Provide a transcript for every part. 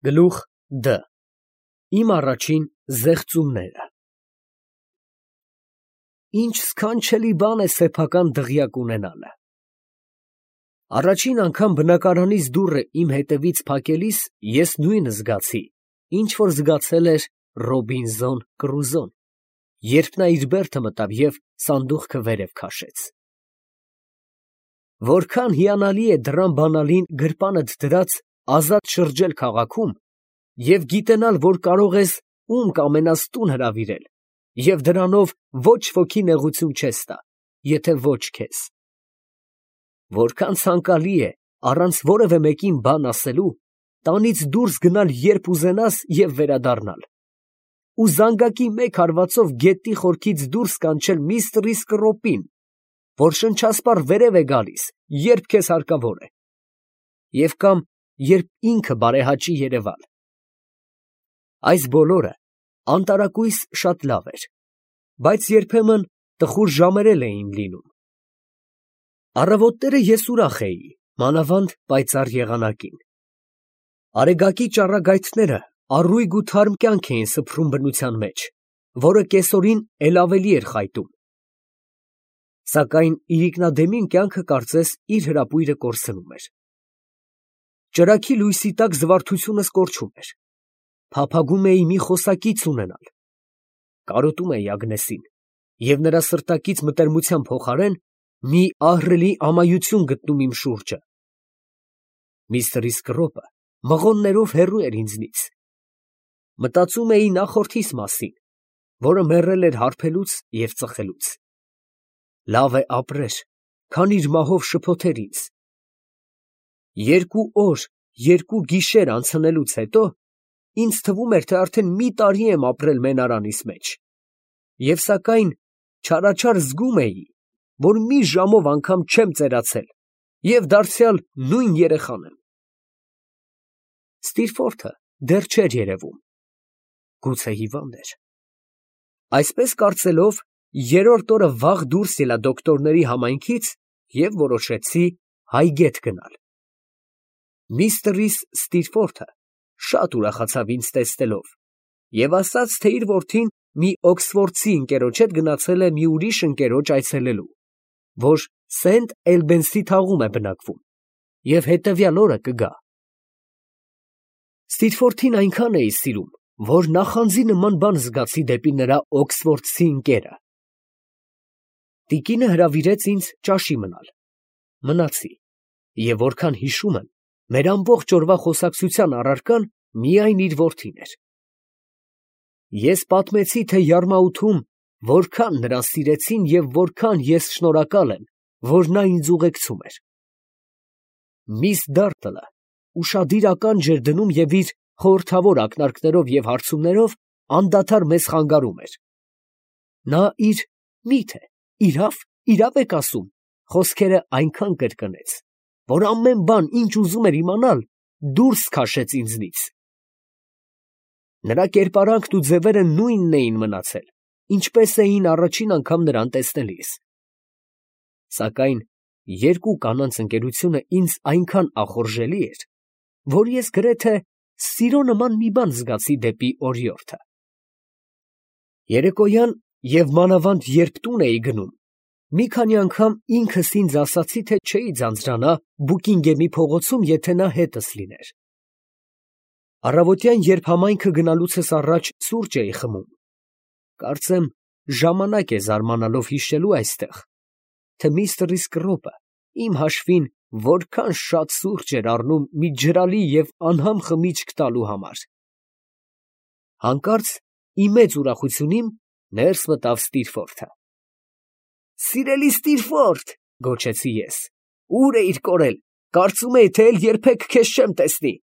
Գլուխ Դ. Իմ առաջին զեղծումները։ Ինչ սքանչելի բան է սեփական դղյակ ունենալը։ Առաջին անգամ բնակարանից դուռը իմ հետևից փակելիս ես նույնը զգացի, ինչ որ զգացել էր Ռոբինզոն Կրուզոն, երբ նա իր բերդը մտավ և սանդուղքը վերև քաշեց։ Որքան հիանալի է դռան բանալին գրպանդ դրած ազատ շրջել քաղաքում և գիտենալ, որ կարող ես ում կամենաս տուն հրավիրել և դրանով ոչ ոքի նեղություն չես տա, եթե ոչ քեզ։ Որքան ցանկալի է առանց որևէ մեկին բան ասելու տանից դուրս գնալ երբ ուզենաս և վերադառնալ, ու զանգակի մեկ հարվածով գետնի խորքից դուրս կանչել միստր Իսկրոպին, որ շնչասպառ վերև է գալիս, երբ քեզ հարկավոր է, և կամ երբ ինքը բարեհաճի երևալ։ Այս բոլորը անտարակույս շատ լավ էր, բայց երբեմն տխուր ժամեր էլ էին լինում։ Առավոտները ես ուրախ էի, մանավանդ պայծառ եղանակին։ Արեգակի ճառագայթները առույգ ու թարմ կյանք էին սփռում բնության մեջ, որը կեսօրին էլ ավելի էր խայտում։ Սակայն իրիկնադեմին կյանքը կարծես իր հրապույրը կորցնում էր։ Ճրագի լույսի տակ զվարթությունս կորչում էր։ Փափագում էի մի խոսակից ունենալ։ Կարոտում էի Ագնեսին և նրա սրտակից մտերմության փոխարեն մի ահռելի ամայություն գտնում իմ շուրջը։ Միստր Իսկրոպը մղոններով հեռու էր ինձնից։ Մտածում էի նախորդիս մասին, որը մեռել էր հարբելուց և ծխելուց։ Լավ է ապրեր, քան իր մահով շփոթեր ինձ։ 2 օր, 2 գիշեր անցնելուց հետո ինձ թվում էր, թե արդեն մի տարի եմ ապրել մենարանիս մեջ, և սակայն չարաչար զգում էի, որ մի ժամով անգամ չեմ ծերացել և դարձյալ նույն երեխան եմ։ Ստիրֆորթը դեռ չէր երևում, գուցե հիվանդ էր։ Այսպես կարծելով, երրորդ օրը վաղ դուրս ելա դոկտորների համայնքից և որոշեցի հայգետ գնալ։ Միստր Ստիրֆորթը շատ ուրախացավ ինձ տեսնելով և ասաց, թե իր որդին մի օքսֆորդցի ընկերոջ հետ գնացել է մի ուրիշ ընկերոջ այցելելու, որ Սենթ Էլբենսի թաղում է բնակվում, և հետևյալ օրը կգա։ Ստիրֆորթին այնքան էի սիրում, որ նախանձի նման բան զգացի դեպի նրա օքսֆորդցի ընկերը։ Տիկինը հրավիրեց ինձ ճաշի մնալ։ Մնացի, և որքան հիշում եմ, մեր ամբողջ օրվա խոսակցության առարկան միայն իր որդին էր։ Ես պատմեցի, թե Յարմաութում որքան նրան սիրեցին և որքան ես շնորհակալ եմ, որ նա ինձ ուղեկցում էր։ Միս Դարտլը ուշադիր ականջ էր դնում և իր խորհրդավոր ակնարկներով և հարցումներով անդադար մեզ խանգարում էր։ Նա իր «Մի՞թե, իրավ եք ասում» խոսքերը այնքան կրկնեց, որ ամեն բան, ինչ ուզում էր իմանալ, դուրս քաշեց ինձնից։ Նրա կերպարանքն ու ձևերը նույնն էին մնացել, ինչպես էին առաջին անգամ նրան տեսնելիս։ Սակայն 2 կանանց ընկերությունը ինձ այնքան ախորժելի էր, որ ես գրեթե սիրո նման մի բան զգացի դեպի օրիորդը։ Երեկոյան և մանավանդ երբ տուն էի գնում, մի քանի անգամ ինքս ինձ ասացի, թե չէի ձանձրանա Բուկինգեմի փողոցում, եթե նա հետս լիներ։ Առավոտյան, երբ համայնքը գնալուցս առաջ սուրճ էի խմում, կարծեմ ժամանակ է զարմանալով հիշելու այստեղ, թե միստր Իսկրոպը իմ հաշվին որքան շատ սուրճ էր առնում մի ջրալի և անհամ խմիչք տալու համար։ Հանկարծ իմ մեծ ուրախությունին ներս մտավ Ստիրֆորթը։ «Սիրելի Ստիրֆորթ, ֊ գոչեցի ես, ֊ ո՞ւր էիր կորել, կարծում էի, թե էլ երբեք քեզ չեմ տեսնի»։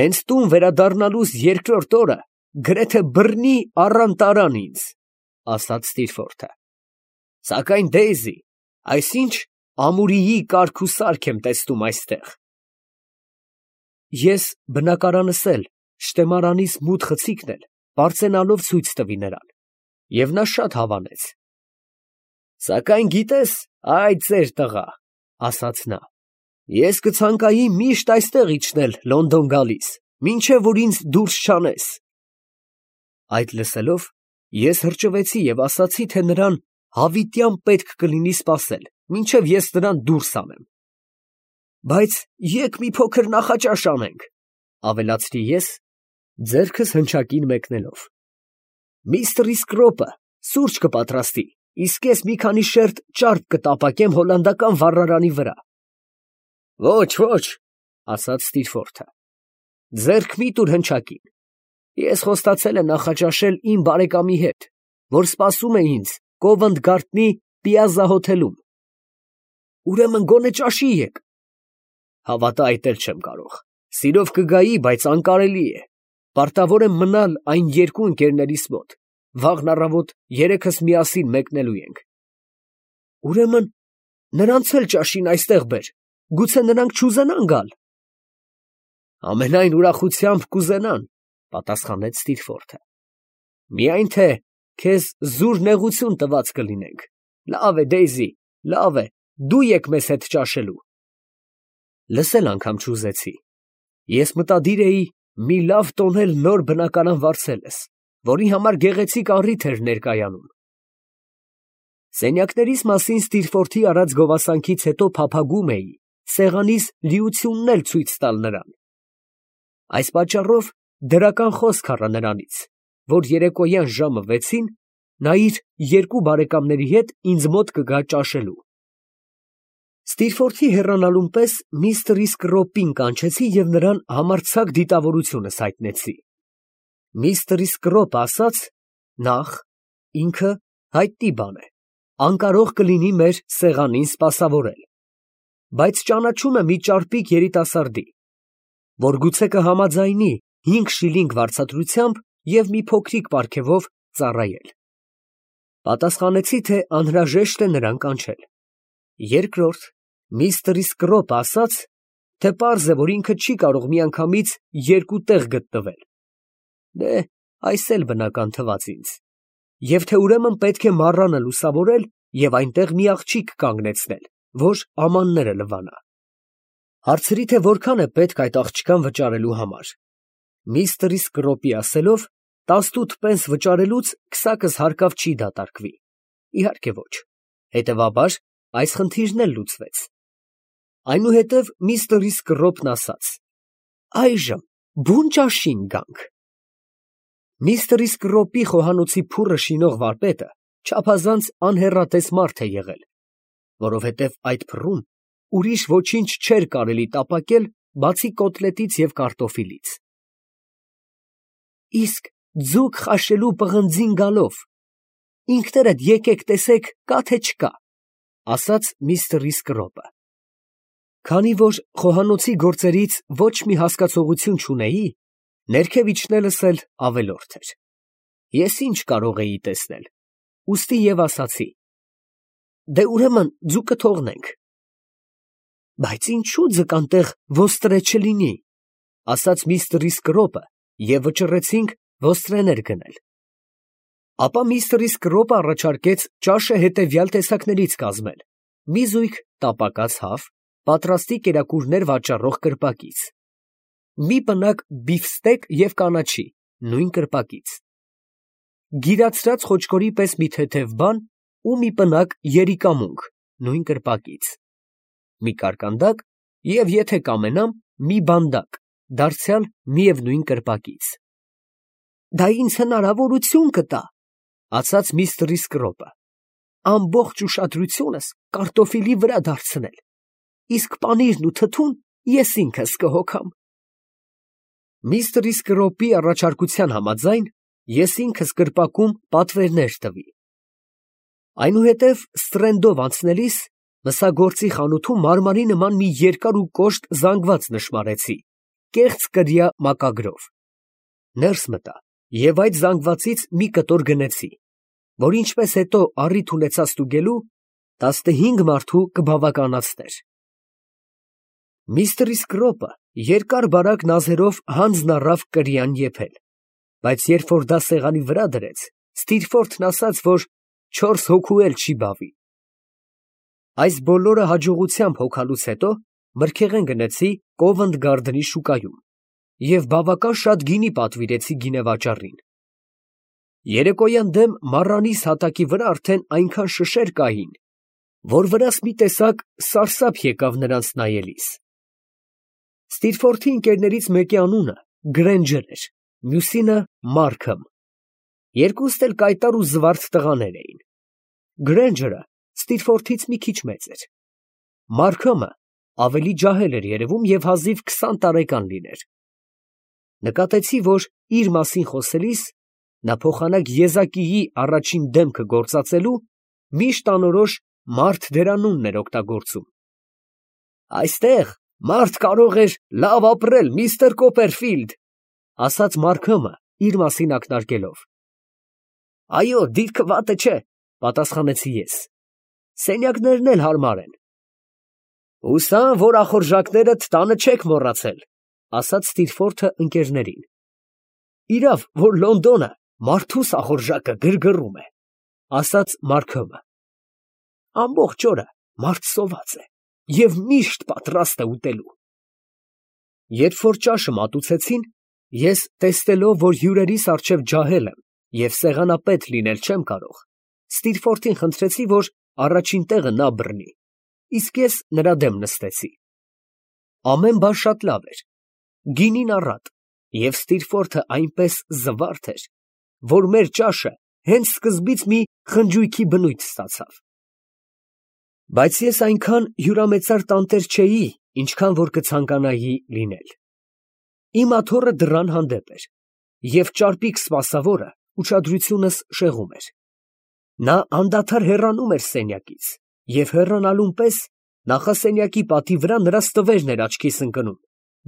«Հենց տուն վերադառնալուս երկրորդ օրը գրեթե բռնի առան տարան ինձ», ֊ ասաց Ստիրֆորթը։ «Սակայն, Դեյզի, այսինչ ամուրիի կարգ ու սարք եմ տեսնում այստեղ»։ Ես բնակարանս էլ, շտեմարանիս մութ խցիկն էլ պարծենալով ցույց տվի նրան, և նա շատ հավանեց։ «Սակայն գիտես, ա՛յ ծեր տղա, ֊ ասաց նա, ֊ Ես կցանկայի միշտ այստեղ իջնել Լոնդոն գալիս, մինչև որ ինձ դուրս չանես։ Այդ լսելով, ես հրճվեցի և ասացի, թե նրան հավիտյան պետք կլինի սպասել, մինչև ես նրան դուրս անեմ։ Բայց եկ մի փոքր նախաճաշ անենք, ավելացրի ես, ձեռքս հնչակին մեկնելով։ Միստր Իսկրոպը սուրճ կպատրաստի, իսկ ես մի քանի շերտ ճարպ կտապակեմ հոլանդական վառարանի վրա։ Ոչ, ոչ, ասաց Ստիրֆորթը, ձեռք մի տուր հնչակին։ Ես խոստացել եմ նախաճաշել իմ բարեկամի հետ, որ սպասում է ինձ Կովենթ Գարդնի Պիազզա հոթելում։ Ուրեմն գոնե ճաշի եք։ Հավատա, այդ էլ չեմ կարող։ Սիրով կգայի, բայց անկարելի է։ Պարտավոր եմ մնալ այն երկու ընկերներիս մոտ։ Վաղն առավոտ երեքս միասին մեկնելու ենք։ Ուրեմն նրանց էլ ճաշին այստեղ բեր։ Գուցե նրանք չուզենան գալ։ Ամենայն ուրախությամբ կուզենան, պատասխանեց Ստիրֆորթը։ Միայն թե քեզ զուր նեղություն տված կլինենք։ Լավ է, Դեյզի, լավ է, դու եք մեզ հետ ճաշելու։ Լսել անգամ չուզեցի։ Ես մտադիր էի մի լավ տոնել նոր բնակարան վարձելս, որի համար գեղեցիկ առիթ էր ներկայանում։ Սենյակներիս մասին Ստիրֆորթի արած գովասանքից հետո փափագում էի սեղանիս լիությունն էլ ցույց տալ նրան։ Այս պատճառով դրական խոսք առա նրանից, որ երեկոյան ժամը 6-ին նա իր երկու բարեկամների հետ ինձ մոտ կգա ճաշելու։ Ստիրֆորթի հեռանալուն պես միստր Իսկրոպին կանչեցի և նրան համարձակ դիտավորությունս հայտնեցի։ Միստր Իսկրոպը ասաց, նախ, ինքը հայտնի բան է, անկարող կլինի մեր սեղանին սպասավորել, բայց ճանաչում է մի ճարպիկ երիտասարդի, որ գուցե կհամաձայնի 5 շիլինգ վարձատրությամբ և մի փոքրիկ պարգևով ծառայել։ Պատասխանեցի, թե անհրաժեշտ է նրան կանչել։ Երկրորդ, միստր Իսկրոպը ասաց, թե պարզ է, որ ինքը չի կարող միանգամից երկու տեղ գտնվել։ Դե, այս էլ բնական թվաց ինձ։ Եվ թե ուրեմն պետք է մառանը լուսավորել և այնտեղ մի աղջիկ կանգնեցնել, որ ամանները լվանա։ Հարցրի, թե որքան է պետք այդ աղջկան վճարելու համար։ Միստր Իսկրոպի ասելով, 18 պենս վճարելուց քսակս հարկավ չի դատարկվի։ Իհարկե ոչ։ Հետևաբար, այս խնդիրն էլ լուծվեց։ Այնուհետև միստր Իսկրոպն ասաց. այժմ բուն ճաշին գանք։ Միստր Իսկրոպի խոհանոցի փուռը շինող վարպետը չափազանց անհեռատես մարդ է եղել, որովհետև այդ փռում ուրիշ ոչինչ չէր կարելի տապակել, բացի կոտլետից և կարտոֆիլից։ Իսկ ձուկ խաշելու պղնձին գալով, ինքներդ եկեք տեսեք կա թե չկա, ասաց միստր Իսկրոպը։ Քանի որ խոհանոցի գործերից ոչ մի հասկացողություն չունեի, ներքև իջնելս էլ ավելորդ էր։ Ես ինչ կարող էի տեսնել, ուստի և ասացի. դե ուրեմն ձուկը թողնենք։ Բայց ինչու ձկան տեղ ոստրե չլինի, ասաց միստր Իսկրոպը և վճռեցինք ոստրեներ գնել։ Ապա միստր Իսկրոպը առաջարկեց ճաշը հետևյալ տեսակներից կազմել. մի զույգ տապակած հավ, պատրաստի կերակուրներ վաճառող կրպակից, մի պնակ բիֆստեկ և կանաչի, նույն կրպակից, գիրացրած խոչկորի պես մի թեթև բան ու մի պնակ երիկամունք, նույն կրպակից, մի կարկանդակ և, եթե կամենամ, մի բանդակ, դարձյալ միևնույն կրպակից։ Դա ինձ հնարավորություն կտա, ասաց միստր Իսկրոպը, ամբողջ ուշադրությունս կարտոֆիլի վրա դարձնել, իսկ պանիրն ու թթուն ես ինքս կհոգամ։ Միստր Իսկրոպի առաջարկության համաձայն ես ինքս կրպակում պատվերներ տվի։ Այնուհետև ստրենդով անցնելիս մսագործի խանութում մարմարի նման մի երկար ու կոշտ զանգված նշմարեցի, կեղծ կրիա մակագրով։ Ներս մտա և այդ զանգվածից մի կտոր գնեցի, որ ինչպես հետո առիթ ունեցա ստուգելու, 15 մարդու կբավականացներ։ Միստր Իսկրոպը երկար բարակ նազերով հանձն առավ կրիան եփել, բայց երբ որ դա սեղանի վրա դրեց, Ստիրֆորթն ասաց, որ 4 հոգու էլ չի բավի։ Այս բոլորը հաջողությամբ հոգալուց հետո մրգեղեն գնեցի Կովենտ Գարդենի շուկայում և բավական շատ գինի պատվիրեցի գինեվաճառին։ Երեկոյան դեմ մառանիս հատակի վրա արդեն այնքան շշեր կային, որ վրաս մի տեսակ սարսափ եկավ նրանց նայելիս։ Ստիրֆորդի ընկերներից մեկի անունը Գրենջեր էր, մյուսինը Մարքըմ։ Երկուստ էլ կայտար ու զվարթ տղաներ էին։ Գրենջերը Ստիրֆորդից մի քիչ մեծ էր։ Մարքըմը ավելի ջահել էր երևում և հազիվ 20 տարեկան լիներ։ Նկատեցի, որ իր մասին խոսելիս նա փոխանակ եզակիի առաջին դեմքը գործածելու միշտ անորոշ մարդ դերանունն էր օգտագործում։ «Այստեղ մարդ կարող էր լավ ապրել, միստր Կոպերֆիլդ», ասաց Մարքըմը իր մասին ակնարկելով։ «Այո, դիրքը վատը չէ», պատասխանեցի ես։ «Սենյակներն էլ հարմար են»։ «Հուսամ, որ ախորժակներդ տանը չեք մոռացել», ասաց Ստիրֆորդը ընկերներին։ «Իրավ, որ Լոնդոնը մարդուս ախորժակը գրգռում է», ասաց Մարքըմը։ «Ամբողջ օրը մարդ սոված է և միշտ պատրաստ է ուտելու»։ Երբ որ ճաշը մատուցեցին, ես տեսնելով, որ հյուրերիս առջև ջահել եմ և սեղանապետ լինել չեմ կարող, Ստիրֆորդին խնդրեցի, որ առաջին տեղը նա բռնի, իսկ ես նրա դեմ նստեցի։ Ամեն բան շատ լավ էր, գինին առատ, և Ստիրֆորդը այնպես զվարթ էր, որ մեր ճաշը հենց սկզբից մի խնջույքի բնույթ ստացավ։ Բայց ես այնքան հյուրամեծար տանտեր չէի, ինչքան որ կցանկանայի լինել։ Իմ աթոռը դռան հանդեպ էր, և ճարպիկ սպասավորը ուշադրությունս շեղում էր։ Նա անդադար հեռանում էր սենյակից, և հեռանալուն պես նախասենյակի պատի վրա նրա ստվերն էր աչքիս ընկնում,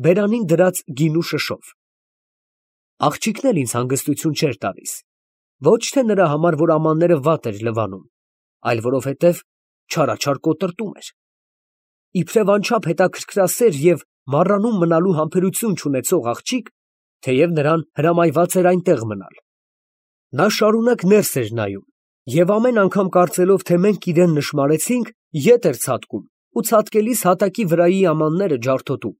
բերանին դրած գինու շշով։ Աղջիկն էլ ինձ հանգստություն չէր տալիս, ոչ թե նրա համար, որ ամանները վատ էր լվանում, այլ որովհետև չարաչար կոտրտում էր։ Իբրև անչափ հետաքրքրասեր և մառանում մնալու համբերություն չունեցող աղջիկ, թեև նրան հրամայված էր այնտեղ մնալ։ Նա շարունակ ներս էր նայում և ամեն անգամ կարծելով, թե մենք իրան նշմարեցինք, ետ էր ցատկում ու ցատկելիս հատակի վրայի ամանները ջարդոտում։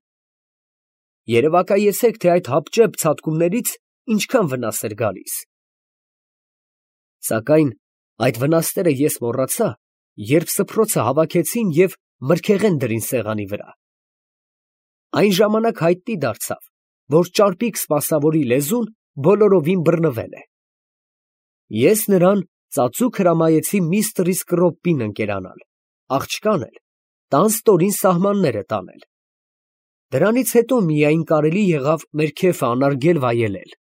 Երևակայեցեք, թե այդ հապճեպ ցատկումներից ինչքան վնաս էր գալիս։ Սակայն այդ վնասները ես մոռացա, երբ սփռոցը հավաքեցին և մրգեղեն դրին սեղանի վրա։ Այն ժամանակ հայտնի դարձավ, որ ճարպիկ սպասավորի լեզուն բոլորովին բռնվել է։ Ես նրան ծածուկ հրամայեցի միստր Իսկրոպին ընկերանալ, աղջկան էլ տան ստորին սահմանները տանել։ Դրանից հետո միայն կարելի եղավ մեր քեֆը անարգել վայելել։